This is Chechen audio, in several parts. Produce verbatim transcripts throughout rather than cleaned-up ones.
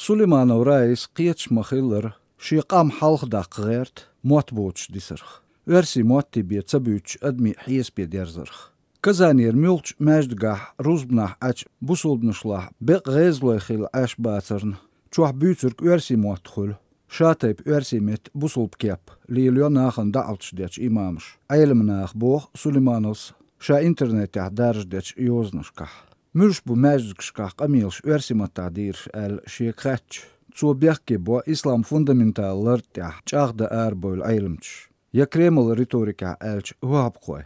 Сулейманов Раис кхеташ ма-хиллара, шен къам хьалха даккха гӀерта мотт боцуш дисарх, оьрсийн мотти бен ца буьйцуш адамийн хьесапе дерзарх. Казанера муьлххачу маьждигехь рузбанахь Ӏачу бусулбанашлахь бекъа гӀезалой хилла Ӏаш бацарна, чохь буьйцург оьрсийн мотт хуьлу. Ша тайпа оьрсийн меттан бусулба кеп лелайо нахана даӀваташ дечу имамаша, Ӏеламнаха, боху Сулеймановс ша интернетехь даржадечу йозанашкахь. Муьлш бу маьждигашкахь къамелаш оьрсийн маттахь дийраш аьлла шега хаьттича, цо бехке бо ислам фундаментал лард тӀехь чӀагӀдан арабевлла Ӏеламчаш, я Кремлан риторикехь аьлча, ваххабхой.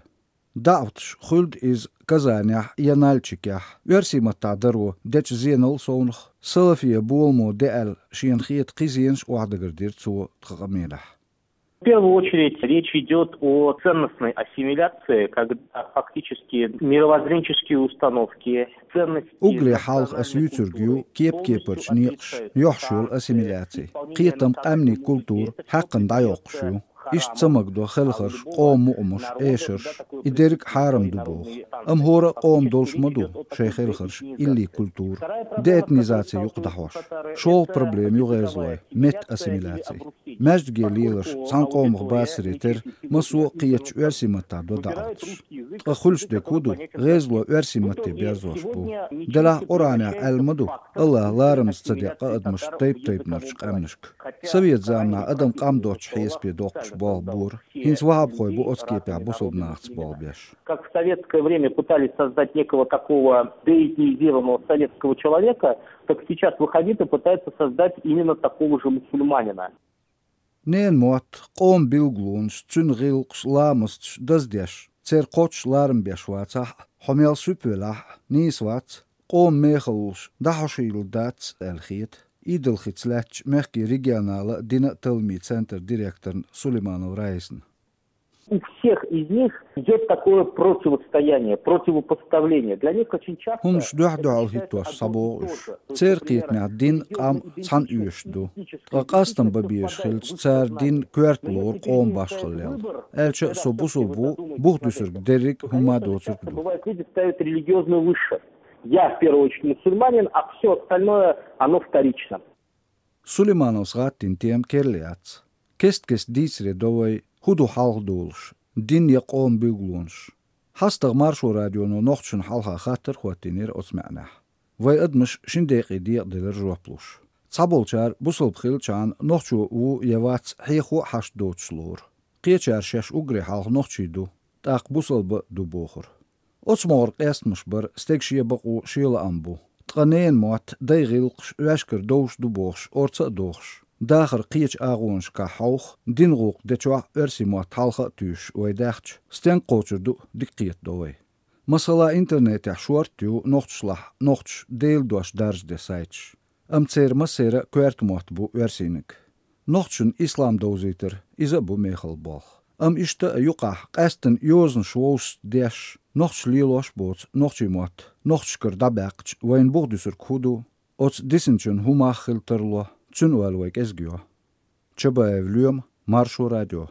ДаӀваташ, хуьлда иза Казанехь я Нальчикехь, оьрсийн маттахь даро дечу зенал совнах, салафийн боламо де аьлла, шена хета кхин зенаш охьадагар дира цо тхан къамелехь. В первую очередь речь идёт о ценностной ассимиляции, когда фактически мировоззренческие установки, ценности... Уггаре хьалха ас юьйцург ю кеп-кепарчу некъаш йохьуш йолу ассимиляци. Кхетам, къаьмнийн культура хьаькхна дӀайоккхуш ю. Иштта ца магадо хелхарш, къоман мукъамаш, эшарш, и дерриг а хьарам ду боху. Амма хӀора а къоман долуш ма ду шайн хелхарш, илли культура, деэтнизаци юкъадахьош. ШолгӀа проблема ю гӀезалой, меттан ассимиляци. Маьждиге леларш цхьана къомах басаре терра, массо а кхетачу оьрсийн маттахь до даӀваташ. Ткъа хуьлуш дерг хӀун ду? ГӀезало оьрсийн матте берзош бу. Делахь Къуръанехь аьлла ма ду, АллахӀа ларамаза ца декъа адамаш тайп-тайпанарчу къаьмнашка. Совет заманахь адам къам доцчу хьесапе доккхуш болх бора, хӀинца ваххабхой бу оцу кепехь бусулба нахаца болх беш. Как в советское время пытались создать некого такого деэтнизированного советского человека, так сейчас ваххабиты пытаются создать именно такого же мусульманина. Ненан мотт, къоман билгалонаш, цуьнан гӀиллакхаш, ламасташ даздеш, церан кхоччуш ларам беш вацахь а, хьо мел суьпа велахь а, нийса вац, къоман мехаллаш дӀахьошийла дац аьлла хета Идалхица лаьттачу мехкийн регионалан а, динан а талламийн центран директорна Сулейманов Раисна. У всех из них идёт такое противостояние, противопоставление. Для них очень часто... ХӀуманаш дуьхь-дуьхьал хӀиттош схьабогӀу уьш. Церан кхетамехь дин, къам цхьаьна оьшуш ду. Ткъа къастам бан безаш хилча, цара дин коьрта лору къоман башхаллел. Аьлча а, со бусулба ву, бух дуьсург дерриг а хӀумма доцург ду. Бывает, люди ставят религиозную выше. Я в первую очередь мусульманин, а всё остальное, оно вторично. Сулеймановс гӀаттийна тема керла яц. Кест-кеста дийцаре до вай, хӀун ду хьалха долуш, дин я къоман билгалонаш. ХьастагӀа Маршо радионо нохчашна хьалха хаттар а хӀоттийнера оцу маьӀнехь. Вай адамаш шина декъе декъаделира жоп луш. Цхьаболчара бусалба хилчахьана нохчо ву я вац хьехо а хьашт доцуш лору. Кхечара шаьш уггаре хьалха нохчий ду, тӀаккха бусалба а ду бохура. Оцу могӀара къестамаш бар стеган шен бакъо, шен лаам бу. Ткъа ненан мотт, дайн гӀиллакхаш ваьшкара довш ду бохуш, орца а дохуш, дахаран кхечу агӀонашкахь хьовха, динан гӀуллакх дечохь а оьрсийн мотт хьалха а туьйсуш вай даьхча, стенга кхочур ду а дика кхетадо вай. Масала, интернетехь шорта ю нохчашлахь нохчаша Делан дош даржаде сайташ. Амма церан массеран а коьрта мотт бу оьрсийниг. Нохчашна ислам довзийтар, иза а бу мехала болх. Амма иштта а юкъахь, къаьсттина йозанаш вовшашца деш, нохчаша лелош а боцу нохчийн мотт нохчашкара дӀабаьккхича, вайна бух дуьсург хӀун ду? Оцу дисинчун хӀун мах хила тарло, цуьнан ойла вай кӀезиг йо. Чабаев Лоьма, Маршо радио.